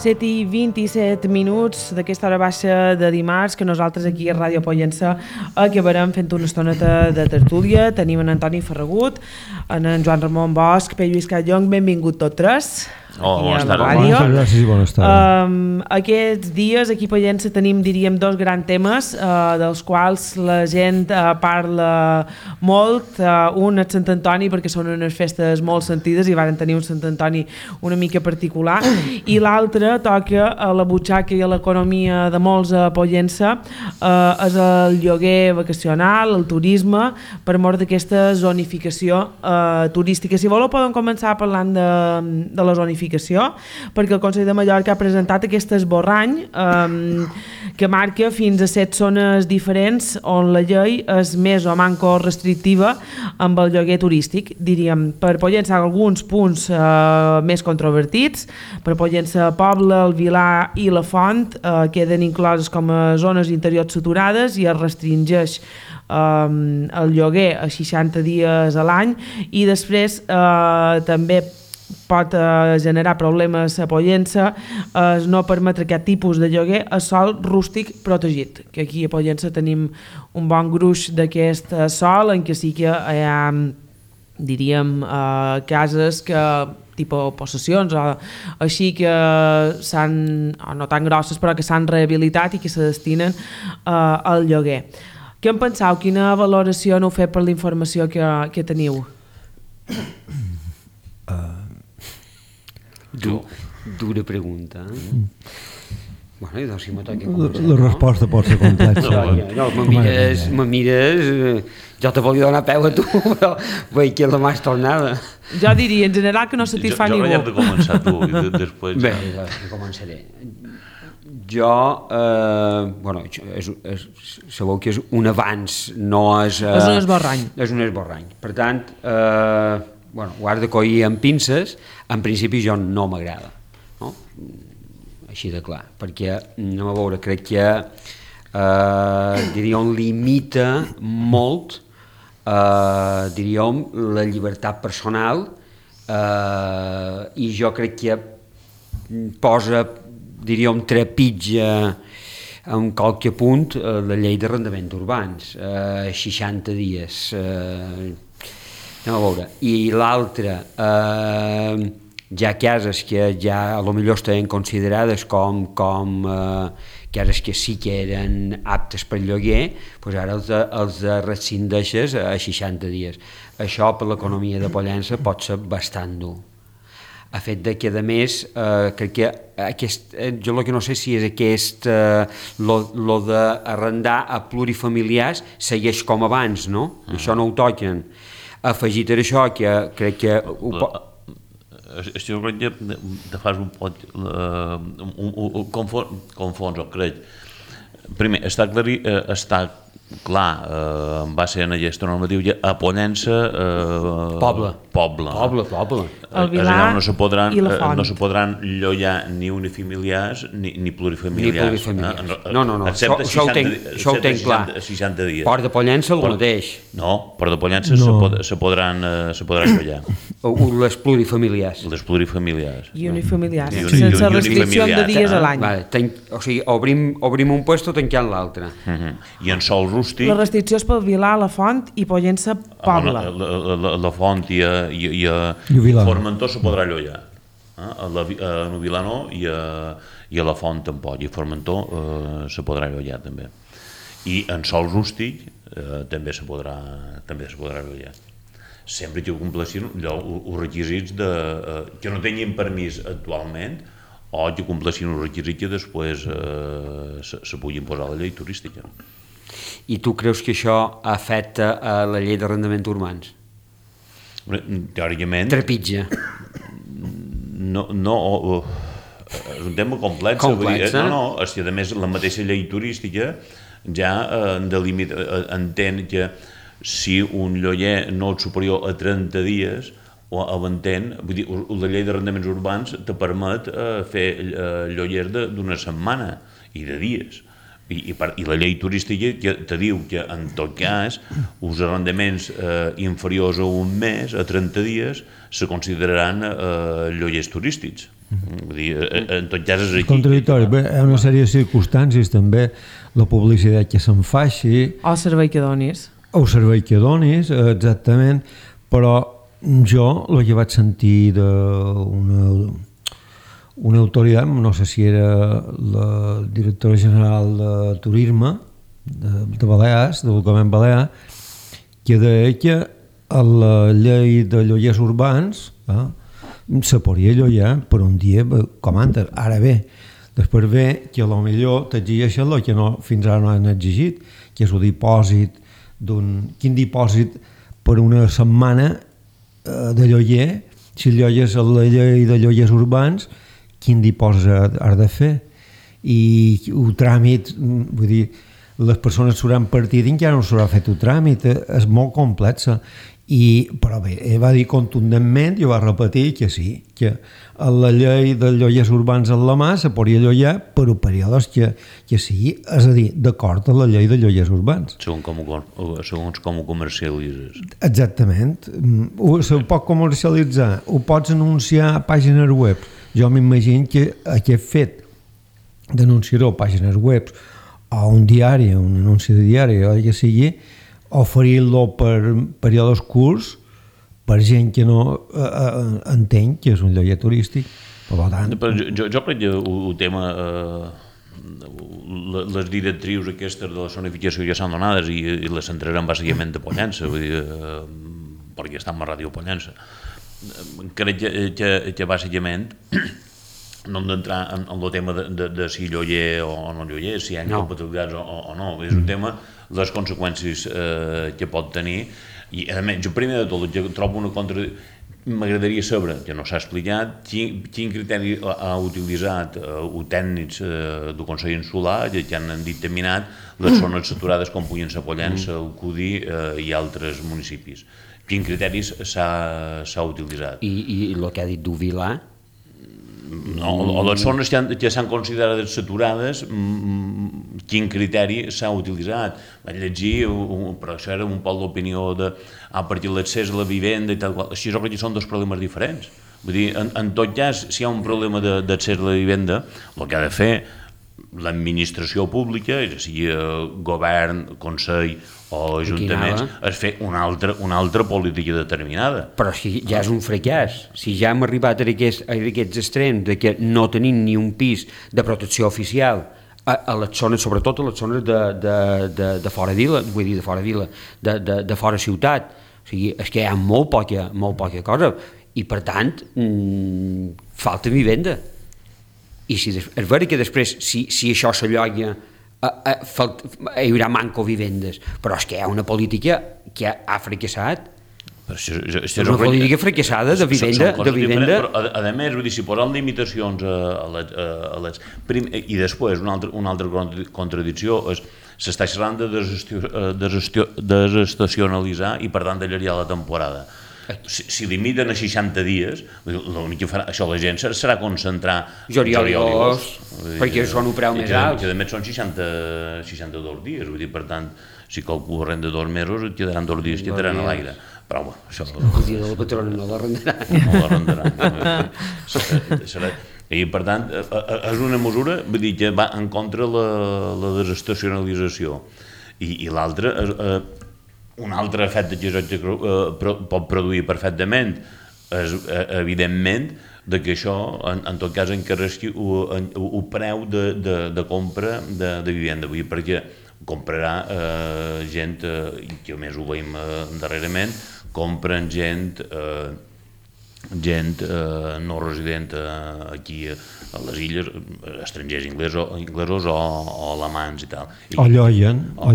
7:27 d'aquesta hora baixa de dimarts, que nosaltres aquí a Ràdio Pollença acabarem fent una estoneta de tertúlia. Tenim en Antoni Ferragut, en Joan Ramon Bosch, Pere Lluís Callong, benvingut tots tres. Bones tardes. Bones tardes. Aquests dies aquí a Pollença tenim, diríem, dos grans temes dels quals la gent parla molt. Un és Sant Antoni, perquè són unes festes molt sentides i varen tenir un Sant Antoni una mica particular, i l'altre toca a la butxaca i a l'economia de molts a Pollença, és el lloguer vacacional, el turisme, per mort d'aquesta zonificació turística. Si voleu podem començar parlant de la zonificació, perquè el Consell de Mallorca ha presentat aquest esborrany que marca fins a 7 zones diferents on la llei és més o manco restrictiva amb el lloguer turístic. Diríem, per Pollença alguns punts més controvertits. Per Pollença Poble, el Vilar i la Font queden incloses com a zones interiors saturades i es restringeix el lloguer a 60 dies a l'any, i després també pot generar problemes a Pollença no permetre aquest tipus de lloguer a sòl rústic protegit, que aquí a Pollença tenim un bon gruix d'aquest sòl en què sí que hi ha, diríem, cases que tipus possessions o així que s'han, no tan grosses, però que s'han rehabilitat i que se destinen al lloguer. Què en penseu? Quina valoració n'heu fet per la informació que teniu? Dura pregunta. Bueno, i doncs si me toca començar. La resposta pot ser complexa. No, me mires, jo te volia donar peu a tu, però veig que és la més tornada. Jo diria, en general, que no satisfà ningú. Jo de començar tu i després... Bé, començaré. Jo, bueno, sabeu que és un avanç, no és... És un esborrany. És un esborrany. Per tant, bueno, ho has de collir amb pinces. En principi jo no m'agrada, no? Així de clar, perquè, anem a veure, crec que diríem, limita molt, diríem, la llibertat personal, i jo crec que posa, diríem, trepitja en qualque punt la llei d'arrendaments urbans, 60 dies, anem a veure. I l'altre, hi ha cases que ja potser estaven considerades com cases que sí que eren aptes per lloguer, doncs ara els rescindeixes a 60 dies. Això per l'economia de Pollença pot ser bastant dur. A fet de que, a més, crec que jo el que no sé si és lo d'arrendar a plurifamiliars segueix com abans, no? Això no ho toquen. Afegit a això, que crec que... Estic crec que te fas un pot... confons, o crec. Primer, està clar, va ser en aquesta normativa a Pollença... Poble. El Vilar i la Font. No se podran llogar ni unifamiliars ni plurifamiliars. No, això ho tenc clar. 60 dies. Port de Pollença el mateix. No, Port de Pollença se podran llogar. Les plurifamiliars. Les plurifamiliars. I unifamiliars, sense restricció de dies a l'any. O sigui, obrim un puesto tancant l'altre. I en sol rústic... La restricció és pel Vilar, la Font i Pollença Poble. La Font i Formentor se podrà llogar. A Vilar no, i a la Font tampoc. I a Formentor se podrà llogar també. I en sol rústic també se podrà llogar. Sempre que compleixin els requisits que no tinguin permís actualment, o que compleixin els requisits que després se puguin posar a la llei turística. I tu creus que això afecta a la llei d'arrendaments urbans? Teòricament... Trepitja. No, és un tema complex. No, és que a més la mateixa llei turística ja entén que si un lloguer no és superior a 30 dies, vull dir, la llei d'arrendaments urbans te permet fer lloguers d'una setmana i de dies. I la llei turística te diu que en tot cas els arrendaments inferiors a un mes, a 30 dies, se consideraran lloguers turístics. Vull dir, en tot cas és aquí. Contradictori, hi ha una sèrie de circumstàncies també, la publicitat que se'n faci... O el servei que donis. O el servei que donis, exactament, però jo el que vaig sentir d'una autoritat, no sé si era la directora general de Turisme de Balears, del Govern Balear, que deia que a la llei de lloguers urbans se podria llogar per un dia com antes. Ara bé, després ve que potser t'exigeixen el que fins ara no han exigit, que és el dipòsit quin dipòsit per una setmana de lloguer, si llogues a la llei de lloguers urbans, quin dipòsit has de fer, i el tràmit, vull dir, les persones s'hauran partit i encara no s'haurà fet el tràmit, és molt complexa, però bé, va dir contundentment, jo va repetir que sí, que a la llei de lloguers urbans en la mà se podria llogar per períodes que sigui, és a dir, d'acord amb la llei de lloguers urbans. Segons com ho comercialitzes. Exactament. Se pot comercialitzar, ho pots anunciar a pàgines web. Jo m'imagino que aquest fet d'anunciar-ho a pàgines web o un diari, un anunci de diari o que sigui, oferir-lo per períodes curts per gent que no entén que és un lloguer turístic. Per tant... Jo crec que el tema, les directrius aquestes de la zonificació ja s'han donades i les centrarem bàsicament a Pollença, vull dir, perquè està en la ràdio Pollença. Crec que bàsicament no hem d'entrar en el tema de si lloguer o no lloguer, si hi ha incompatibilitats o no. És un tema, les conseqüències que pot tenir, i a més, jo primer de tot, trobo una m'agradaria saber, que no s'ha explicat, quin criteri ha utilitzat els tècnics del Consell Insular que han dictaminat les zones saturades com puguin ser Pollença, el Cudí i altres municipis. Quins criteris s'ha utilitzat? I el que ha dit d'Uvilà? O les zones que s'han considerat saturades, quin criteri s'ha utilitzat? Vaig llegir, però això era un poc l'opinió a partir de l'accés a la vivenda i tal qual. Així jo crec que són dos problemes diferents. Vull dir, en tot cas, si hi ha un problema d'accés a la vivenda, el que ha de fer l'administració pública, ja sigui govern, consell o ajuntaments, és fer una altra política determinada. Però si ja és un fracàs, si ja hem arribat a aquests extrems de que no tenim ni un pis de protecció oficial a les zones, sobretot a les zones de fora vila, vull dir de fora vila, de fora ciutat, o sigui, és que hi ha molt poca cosa i per tant falta vivenda. I és vera que després, si això s'alloga, hi haurà manco vivendes, però és que hi ha una política que ha fracassat. És una política fracassada de vivenda. Però, a més, si posem limitacions i després una altra contradicció és s'està xerrant de desestacionalitzar i per tant d'allargar la temporada. Si limiten a 60 dies, l'únic que farà això la gent serà concentrar juliol i agost, perquè són un preu més alt. Que a més són 62 dies, vull dir, per tant, si qualcú arrenda 2 mesos, et quedaran 2 dies, quedaran a l'aire. Però bueno, això... El dia de la patrona no l'arrendarà. No l'arrendarà. I per tant, és una mesura, vull dir, que va en contra la desestacionalització. I l'altra... Un altre efecte que pot produir perfectament és, evidentment, que això, en tot cas, encarregui el preu de compra de vivenda, perquè comprarà gent, que a més ho veiem darrerament, compren gent no resident aquí a les illes, estrangers inglesos o alemans i tal. O lloguen. I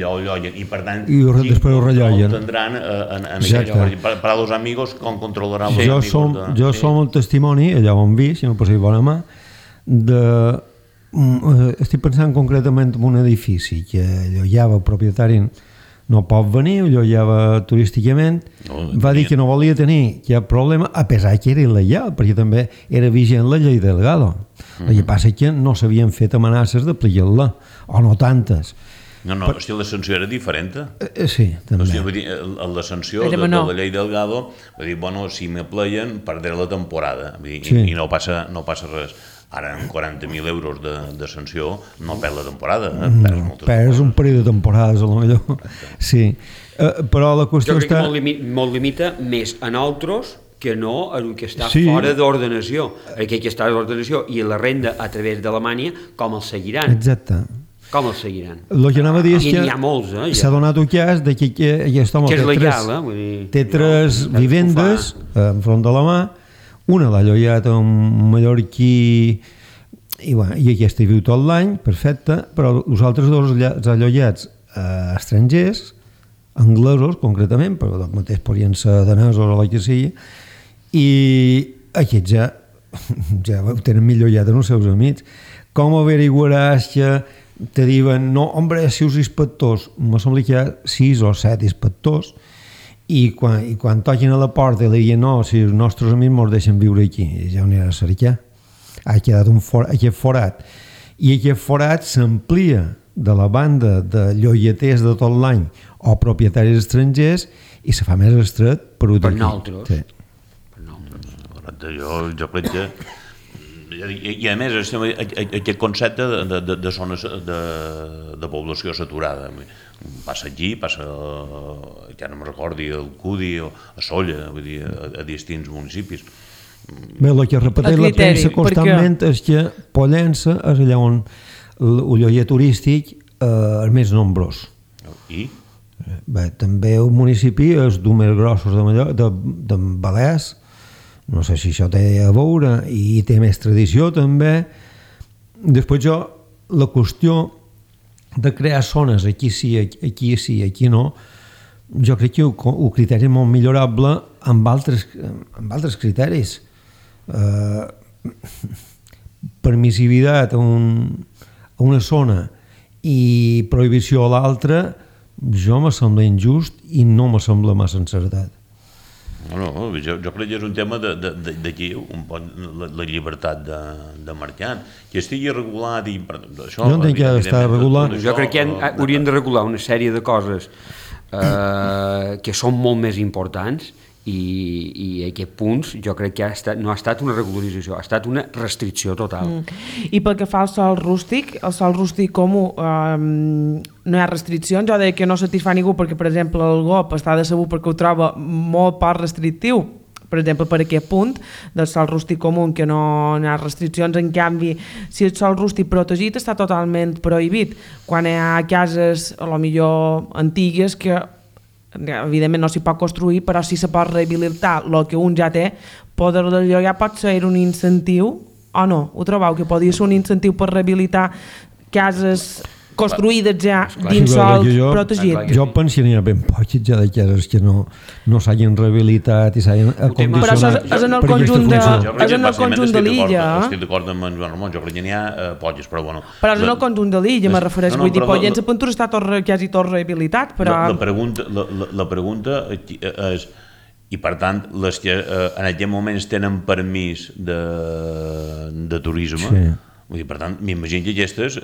lloguen. I per tant, després ho relloguen. Tindran per a los amigos com controlaran els amigos. Jo som el testimoni, allà ho hem vist, si no posa bona mà, estic pensant concretament en un edifici que llogava el propietari no pot venir, allotjava turísticament, va dir que no volia tenir cap problema, a pesar que era il·legal, perquè també era vigent la llei Delgado. El que passa és que no s'havien fet amenaces d'aplicar-la, o no tantes. No, hòstia, la sanció era diferent. Sí, també. Hòstia, vull dir, la sanció de la llei Delgado, vull dir, bueno, si m'apleien, perdré la temporada, vull dir, i no passa res. Ara, amb 40.000 euros de sanció, no perd la temporada, perds un parell de temporades, a lo millor. Sí, però la qüestió està... Jo crec que molt limita més a nosaltres que no a el que està fora d'ordenació. Aquell que està d'ordenació i la renda a través d'Alemanya, com el seguiran? Exacte. Com el seguiran? El que anava a dir és que s'ha donat un cas que aquest home té tres vivendes enfront de la mà. Una l'ha allotjat a un mallorquí i aquesta hi viu tot l'any, perfecte, però els altres dos allollats estrangers, anglesos concretament, però del mateix podien ser danesos o la que sigui, i aquests ja ho tenen millor ja dels seus amics. Com averiguaràs que te diuen, no, hombre, si us inspectors, me sembla que hi ha 6 o 7 inspectors, i quan toquin a la porta i li diuen no, si els nostres amics ens deixen viure aquí, ja ho anirà a cercar. Ha quedat aquest forat. I aquest forat s'amplia de la banda de llogaters de tot l'any o propietaris estrangers i se fa més estret per nosaltres. Sí. Jo crec que... I a més, aquest concepte de zones de població saturada, passa aquí, passa, ja no me'n recordi, al Cudi o a Solla, vull dir, a distints municipis. Bé, el que repeteix la premsa constantment és que Pollença és allà on el lloguer turístic és més nombrós. I? Bé, també un municipi és d'un més grossos de Balears, no sé si això té a veure, i té més tradició també. Després la qüestió de crear zones, aquí sí, aquí no, jo crec que el criteri és molt millorable amb altres criteris. Permissivitat a una zona i prohibició a l'altra, jo me sembla injust i no me sembla massa encertat. No, jo crec que és un tema d'aquí, la llibertat de mercat, que estigui regulat i... Jo entenc que està regulat. Jo crec que haurien de regular una sèrie de coses que són molt més importants i a aquests punts jo crec que no ha estat una regularització, ha estat una restricció total. I pel que fa al sòl rústic, com no hi ha restriccions, jo deia que no satisfà ningú perquè, per exemple, el GOP està decebut perquè ho troba molt poc restrictiu, per exemple, per aquest punt del sòl rústic comú, que no hi ha restriccions. En canvi, si el sòl rústic protegit està totalment prohibit, quan hi ha cases, a lo millor antigues, que evidentment no s'hi pot construir, però sí se pot rehabilitar el que un ja té. Poder-lo llogar pot ser un incentiu o no? Ho trobeu que podria ser un incentiu per rehabilitar cases construïdes ja dins sòl protegit? Jo penso que n'hi ha ben poques ja de cases que no s'hagin rehabilitat i s'hagin acondicionat. Però és en el conjunt de l'illa. Estic d'acord amb en Joan Ramon, jo crec que n'hi ha poques, però bueno... Però és en el conjunt de l'illa, me refereix. Vull dir, Pollença Pentura està quasi tot rehabilitat, però... La pregunta és... I per tant, les que en aquest moment tenen permís de turisme, vull dir, per tant, m'imagino que aquestes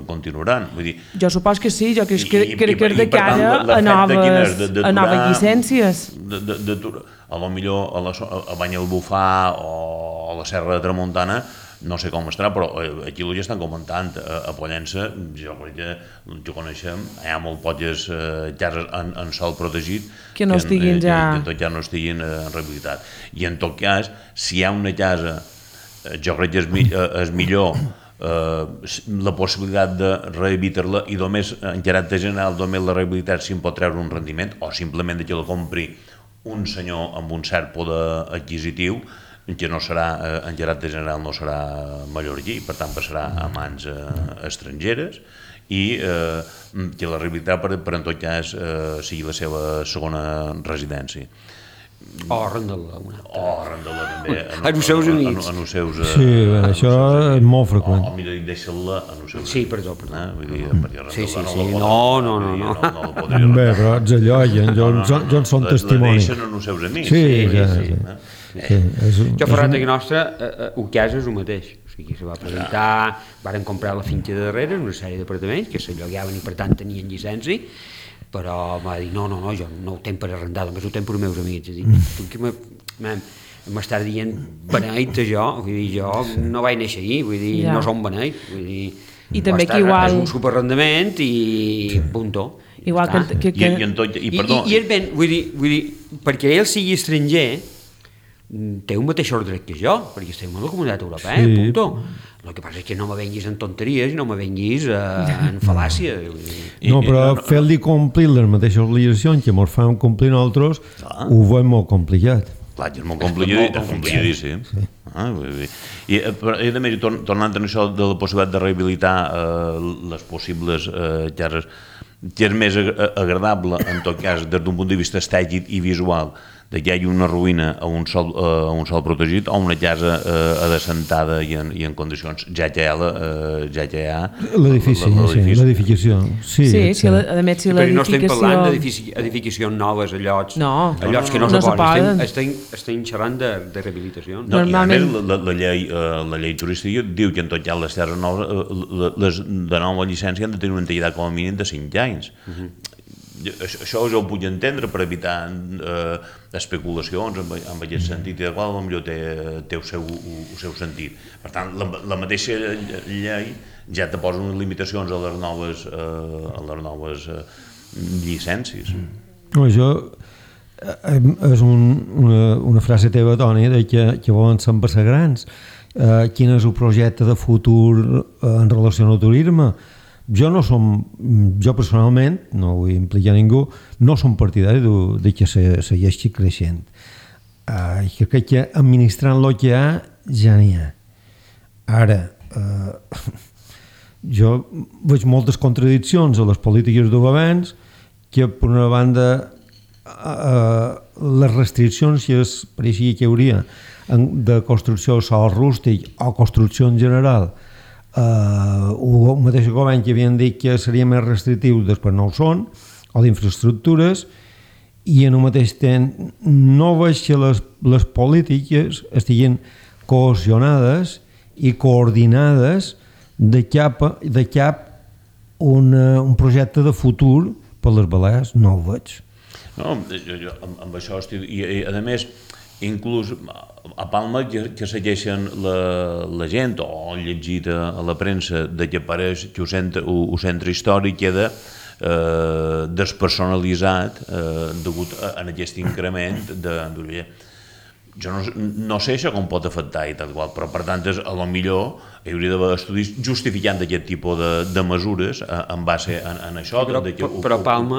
continuaran. Vull dir, jo supos que sí, jo crec que és de cara a noves llicències. A lo millor a Banyalbufar o a la Serra de Tramuntana no sé com estarà, però aquí ho ja estan comentant. A Pollença, jo crec que jo coneixem, hi ha molt poques cases en sòl protegit que no estiguin ja no estiguin en rehabilitat. I en tot cas, si hi ha una casa, jo crec que és millor la possibilitat de rehabilitar-la i només, en caràcter general, només la rehabilitat si en pot treure un rendiment, o simplement que la compri un senyor amb un cert poder adquisitiu, que no serà, en caràcter general no serà mallorquí, per tant passarà a mans estrangeres, i que la rehabilitat per en tot cas sigui la seva segona residència. O arrendar-la, una altra. O arrendar-la també. En els seus amics. En els seus... Sí, això és molt freqüent. O millor dit, deixa-la en els seus amics. Sí, perdó. Vull dir, perquè arrendar-la No. Bé, però ets allò, jo en són testimoni. La deixen en els seus amics. Sí. Jo, Ferrat, a nostra, el cas és el mateix. O sigui, se va presentar, varen comprar la finca de darrere, una sèrie d'apartaments que se llogaven i per tant tenien llicència, però m'ha dit, no, jo no ho tenc per arrendar, només ho tenc per els meus amics. Tu que m'estàs dient beneit, jo? Vull dir, jo no vaig néixer ahir, vull dir, no som beneit, vull dir... I també que igual... És un superarrendament i puntó. Igual que... I és ben, vull dir, perquè ell sigui estranger, té un mateix ordre que jo, perquè estem en la comunitat europea, puntó. El que passa és que no me venguis en tonteries i no me venguis en fal·làcia. No, però fer-li complir les mateixes obligacions que ens fan complir nosaltres ho veiem molt complicat. Clar, és molt complicadíssim. I a més, tornant a això de la possibilitat de rehabilitar les possibles cases, que és més agradable, en tot cas, des d'un punt de vista estètic i visual, que hi hagi una ruïna a un sol protegit o una casa adassentada i en condicions ja que hi ha l'edificació. Sí, a més si l'edificació... Però no estem parlant d'edificacions noves a llocs que no se poden, estem xerrant de rehabilitació. I a més la llei turística diu que en tot cas les terres noves, les de nova llicència han de tenir una antiguitat com a mínim de 5 anys. Això jo ho puc entendre per evitar especulacions en aquest sentit, i de qual potser té el seu sentit. Per tant, la mateixa llei ja te posa unes limitacions a les noves llicències. Això és una frase teva, Toni, que volen ser grans. Quin és el projecte de futur en relació al turisme? Jo personalment, no vull implicar ningú, no som partidari de que segueixi creixent. Crec que administrant el que hi ha, ja n'hi ha. Ara, jo veig moltes contradiccions a les polítiques de governs que, per una banda, les restriccions que pareixia que hi hauria de construcció de sòl rústic o construcció en general, el mateix govern que havien dit que seria més restrictiu, després no ho són, o d'infraestructures, i en el mateix temps no veig que les polítiques estiguin cohesionades i coordinades de cap un projecte de futur per les Balears, no ho veig. No, jo amb això estic... I a més, inclús a Palma que segueixen la gent o han llegit a la premsa que apareix que el centre històric queda despersonalitzat degut a aquest increment de... Jo no sé això com pot afectar i tal qual, però per tant a lo millor hi hauria d'haver estudis justificant aquest tipus de mesures en base en això. Però Palma